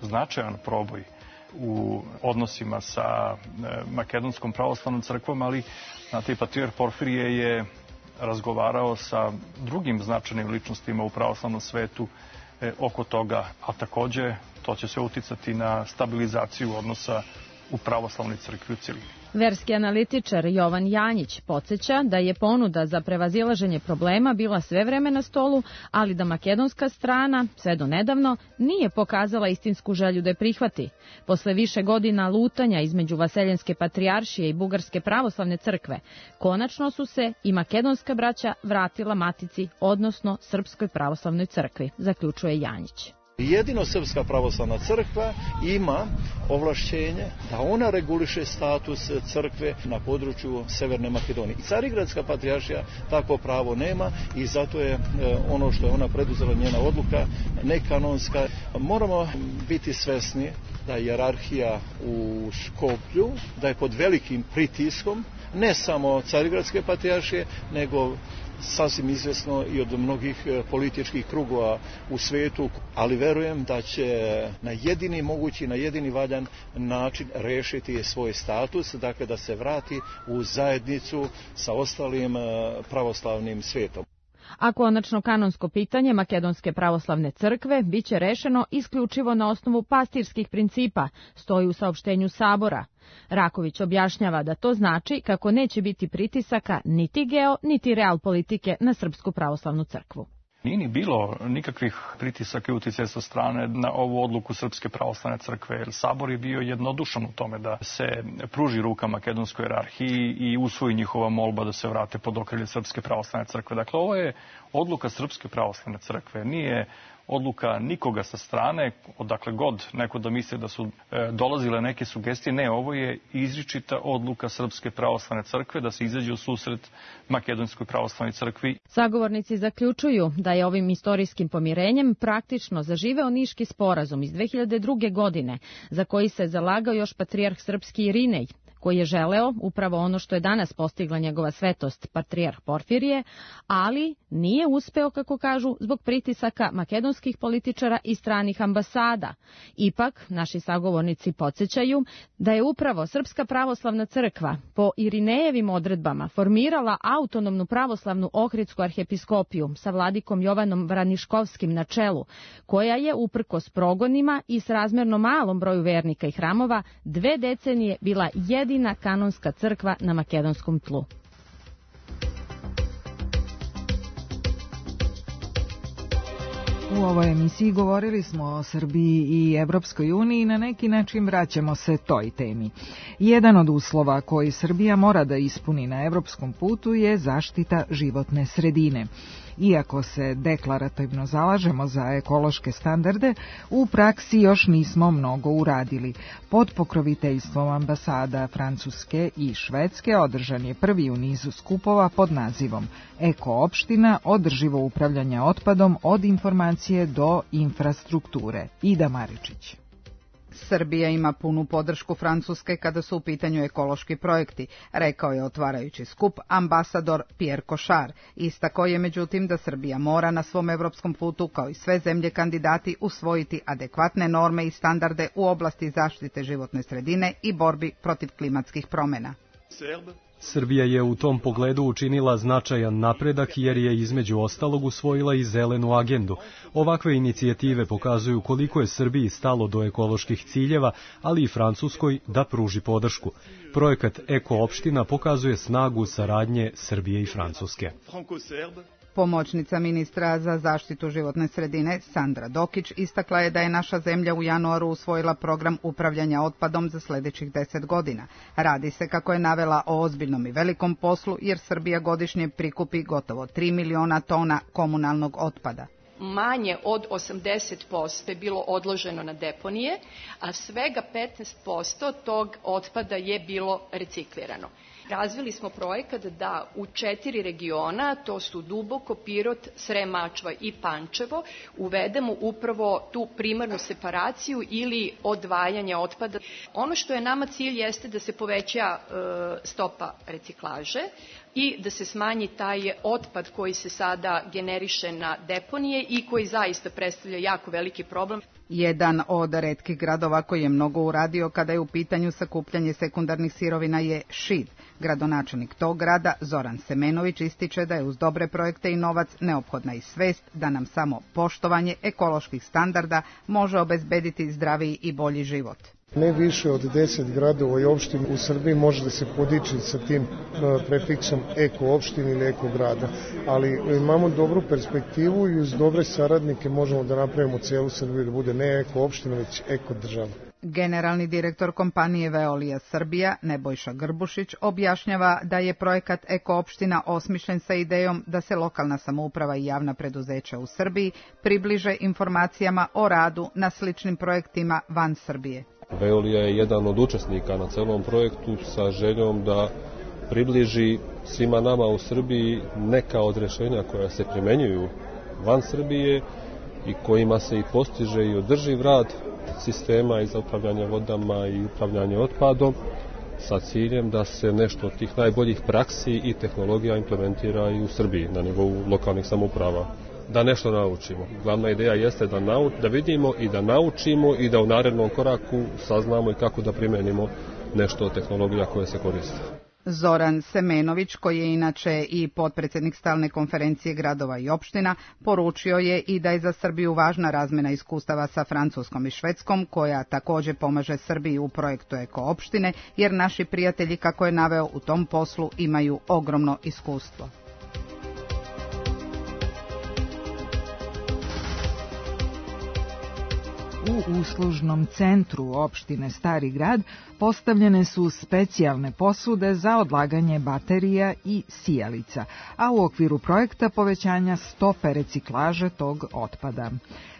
značajan proboj u odnosima sa Makedonskom pravoslavnom crkvom, ali znate, patrijarh Porfirije je razgovarao sa drugim značajnim ličnostima u pravoslavnom svetu oko toga, a takođe to će sve uticati na stabilizaciju odnosa u pravoslavnoj crkvi u celini. Verski analitičar Jovan Janjić podsjeća da je ponuda za prevazilaženje problema bila sve vreme na stolu, ali da makedonska strana, sve do nedavno, nije pokazala istinsku želju da je prihvati. Posle više godina lutanja između Vaseljenske patrijaršije i Bugarske pravoslavne crkve, konačno su se i makedonska braća vratila matici, odnosno Srpskoj pravoslavnoj crkvi, zaključuje Janjić. Jedino Srpska pravoslavna crkva ima ovlašćenje da ona reguliše status crkve na području Severne Makedonije. I Carigradska patrijaršija takvo pravo nema i zato je ono što je ona preduzela, njena odluka, nekanonska. Moramo biti svesni da je hijerarhija u Skoplju, da je pod velikim pritiskom, ne samo Carigradske patrijaršije, nego sasvim izvjesno i od mnogih političkih krugova u svetu, ali verujem da će na jedini mogući, na jedini valjan način rešiti svoj status, dakle da se vrati u zajednicu sa ostalim pravoslavnim svetom. A konačno kanonsko pitanje Makedonske pravoslavne crkve biće rešeno isključivo na osnovu pastirskih principa, stoji u saopštenju Sabora. Raković objašnjava da to znači kako neće biti pritisaka niti geo, niti real politike na Srpsku pravoslavnu crkvu. Nije ni bilo nikakvih pritisaka i uticaja sa strane na ovu odluku Srpske pravoslavne crkve, jer Sabor je bio jednodušan u tome da se pruži ruka makedonskoj jerarhiji i usvoji njihova molba da se vrate pod okrilje Srpske pravoslavne crkve. Dakle, ovo je odluka Srpske pravoslavne crkve, nije odluka nikoga sa strane, odakle god neko da misle da su dolazile neke sugestije. Ne, ovo je izričita odluka Srpske pravoslavne crkve da se izađe u susret Makedonskoj pravoslavnoj crkvi. Sagovornici zaključuju da je ovim istorijskim pomirenjem praktično zaživeo Niški sporazum iz 2002. godine, za koji se zalagao još patrijarh srpski Irinej, koji je želeo upravo ono što je danas postigla njegova svetost, patrijarh Porfirije, ali nije uspeo, kako kažu, zbog pritisaka makedonskih političara i stranih ambasada. Ipak, naši sagovornici podsjećaju da je upravo Srpska pravoslavna crkva po Irinejevim odredbama formirala autonomnu pravoslavnu Ohridsku arhiepiskopiju sa vladikom Jovanom Vraniškovskim na čelu, koja je, uprkos progonima i s razmerno malom broju vernika i hramova, 2 decenije bila jedina kanonska crkva na makedonskom tlu. U ovoj emisiji govorili smo o Srbiji i Evropskoj uniji i na neki način vraćamo se toj temi. Jedan od uslova koji Srbija mora da ispuni na evropskom putu je zaštita životne sredine. Iako se deklarativno zalažemo za ekološke standarde, u praksi još nismo mnogo uradili. Pod pokroviteljstvom ambasada Francuske i Švedske održan je prvi u nizu skupova pod nazivom Eko-opština, održivo upravljanje otpadom od informacije do infrastrukture. Ida Maričić. Srbija ima punu podršku Francuske kada su u pitanju ekološki projekti, rekao je otvarajući skup ambasador Pierre Cochard. Istakao je međutim da Srbija mora na svom evropskom putu, kao i sve zemlje kandidati, usvojiti adekvatne norme i standarde u oblasti zaštite životne sredine i borbi protiv klimatskih promjena. Srbija je u tom pogledu učinila značajan napredak jer je između ostalog usvojila i zelenu agendu. Ovakve inicijative pokazuju koliko je Srbiji stalo do ekoloških ciljeva, ali i Francuskoj da pruži podršku. Projekat Eko-opština pokazuje snagu saradnje Srbije i Francuske. Pomoćnica ministra za zaštitu životne sredine Sandra Dokić istakla je da je naša zemlja u januaru usvojila program upravljanja otpadom za sljedećih 10 godina. Radi se, kako je navela, o ozbiljnom i velikom poslu jer Srbija godišnje prikupi gotovo 3 miliona tona komunalnog otpada. Manje od 80% je bilo odloženo na deponije, a svega 15% tog otpada je bilo reciklirano. Razvili smo projekat da u 4 regiona, to su Duboko, Pirot, Srem, Mačva i Pančevo, uvedemo upravo tu primarnu separaciju ili odvajanje otpada. Ono što je nama cilj jeste da se poveća stopa reciklaže i da se smanji taj otpad koji se sada generiše na deponije i koji zaista predstavlja jako veliki problem. Jedan od retkih gradova koji je mnogo uradio kada je u pitanju sakupljanje sekundarnih sirovina je Šid. Gradonačelnik tog grada, Zoran Semenović, ističe da je uz dobre projekte i novac neophodna i svest da nam samo poštovanje ekoloških standarda može obezbediti zdraviji i bolji život. Ne više od 10 gradova i opština u Srbiji može da se podiči sa tim prefiksom eko opštine ili eko grada, ali imamo dobru perspektivu i uz dobre saradnike možemo da napravimo celu Srbiju da bude ne eko opština, već eko država. Generalni direktor kompanije Veolia Srbija, Nebojša Grbušić, objašnjava da je projekat Eko opština osmišljen sa idejom da se lokalna samouprava i javna preduzeća u Srbiji približe informacijama o radu na sličnim projektima van Srbije. Veolia je jedan od učesnika na celom projektu sa željom da približi svima nama u Srbiji neka od rješenja koja se primenjuju van Srbije i kojima se i postiže i održiv rad sistema i za upravljanje vodama i upravljanje otpadom sa ciljem da se nešto od tih najboljih praksi i tehnologija implementira i u Srbiji na nivou lokalnih samouprava. Da nešto naučimo. Glavna ideja jeste da vidimo i da naučimo i da u narednom koraku saznamo i kako da primenimo nešto od tehnologija koje se koriste. Zoran Semenović, koji je inače i potpredsjednik stalne konferencije gradova i opština, poručio je i da je za Srbiju važna razmena iskustava sa Francuskom i Švedskom, koja također pomaže Srbiji u projektu Eko opštine, jer naši prijatelji, kako je naveo, u tom poslu imaju ogromno iskustvo. U uslužnom centru opštine Stari grad postavljene su specijalne posude za odlaganje baterija i sijalica, a u okviru projekta povećanja stope reciklaže tog otpada.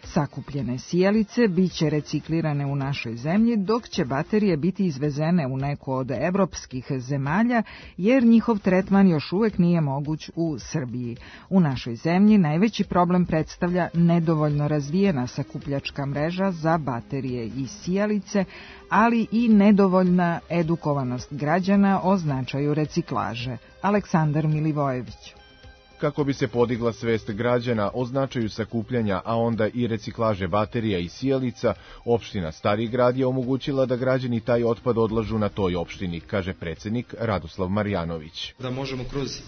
Sakupljene sijalice biće reciklirane u našoj zemlji, dok će baterije biti izvezene u neku od evropskih zemalja, jer njihov tretman još uvek nije moguć u Srbiji. U našoj zemlji najveći problem predstavlja nedovoljno razvijena sakupljačka mreža za baterije i sijalice, ali i nedovoljna edukovanost građana o značaju reciklaže. Aleksandar Milivojević. Kako bi se podigla svest građana o značaju sakupljanja, a onda i reciklaže baterija i sijalica, opština Stari grad je omogućila da građani taj otpad odlažu na toj opštini, kaže predsjednik Radoslav Marjanović. Da možemo kroz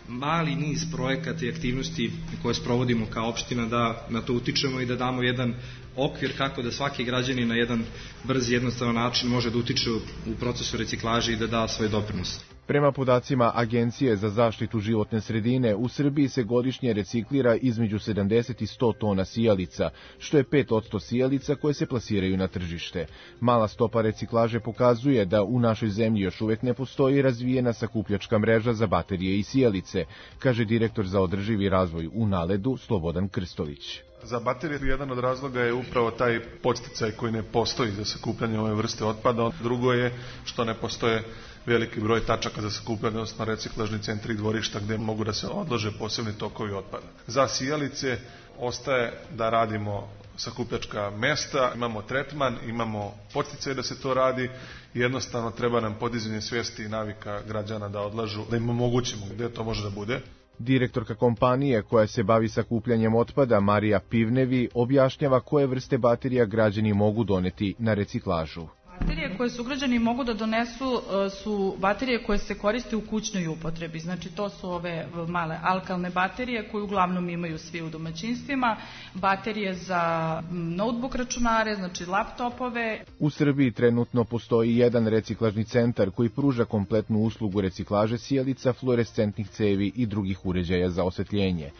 mali niz projekata i aktivnosti koje sprovodimo kao opština da na to utičemo i da damo jedan okvir kako da svaki građanin na jedan brz i jednostavan način može da utiče u procesu reciklaže i da da svoj doprinos. Prema podacima Agencije za zaštitu životne sredine, u Srbiji se godišnje reciklira između 70 i 100 tona sijalica, što je 5% sijalica koje se plasiraju na tržište. Mala stopa reciklaže pokazuje da u našoj zemlji još uvek ne postoji razvijena sakupljačka mreža za baterije i sijalice, kaže direktor za održivi razvoj u Naledu Slobodan Krstović. Za baterije jedan od razloga je upravo taj podsticaj koji ne postoji za sakupljanje ove vrste otpada. Drugo je što ne postoje veliki broj tačaka za sakupljanje, odnosno reciklažni centri i dvorišta gdje mogu da se odlože posebni tokovi otpada. Za sijalice ostaje da radimo sakupljačka mesta, imamo tretman, imamo podsticaj da se to radi i jednostavno treba nam podizanje svijesti i navika građana da odlažu, da im omogućimo gdje to može da bude. Direktorka kompanije koja se bavi sakupljanjem otpada, Marija Pivnevi, objašnjava koje vrste baterija građani mogu doneti na reciklažu. Baterije koje sugrađani mogu da donesu su baterije koje se koriste u kućnoj upotrebi. Znači to su ove male alkalne baterije koje uglavnom imaju svi u domaćinstvima, baterije za notebook računare, znači laptopove. U Srbiji trenutno postoji jedan reciklažni centar koji pruža kompletnu uslugu reciklaže sijalica, fluorescentnih cevi i drugih uređaja za osvetljenje.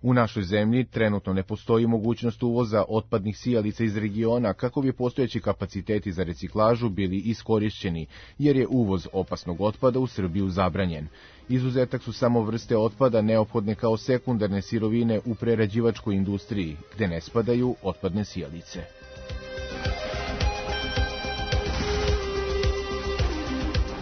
U našoj zemlji trenutno ne postoji mogućnost uvoza otpadnih sijalica iz regiona kako bi postojeći kapaciteti za reciklažu bili iskorišćeni, jer je uvoz opasnog otpada u Srbiju zabranjen. Izuzetak su samo vrste otpada neophodne kao sekundarne sirovine u prerađivačkoj industriji, gde ne spadaju otpadne sijalice.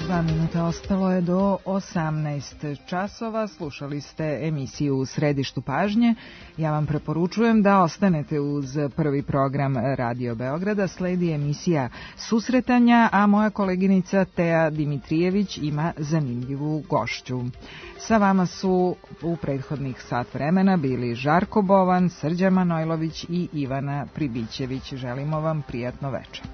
Dva minuta ostalo je do 18 časova. Slušali ste emisiju U središtu pažnje. Ja vam preporučujem da ostanete uz prvi program Radio Beograda. Sledi emisija Susretanja, a moja koleginica Teja Dimitrijević ima zanimljivu gošću. Sa vama su u prethodnih sat vremena bili Žarko Bovan, Srđan Manojlović i Ivana Pribićević. Želimo vam prijatno večer.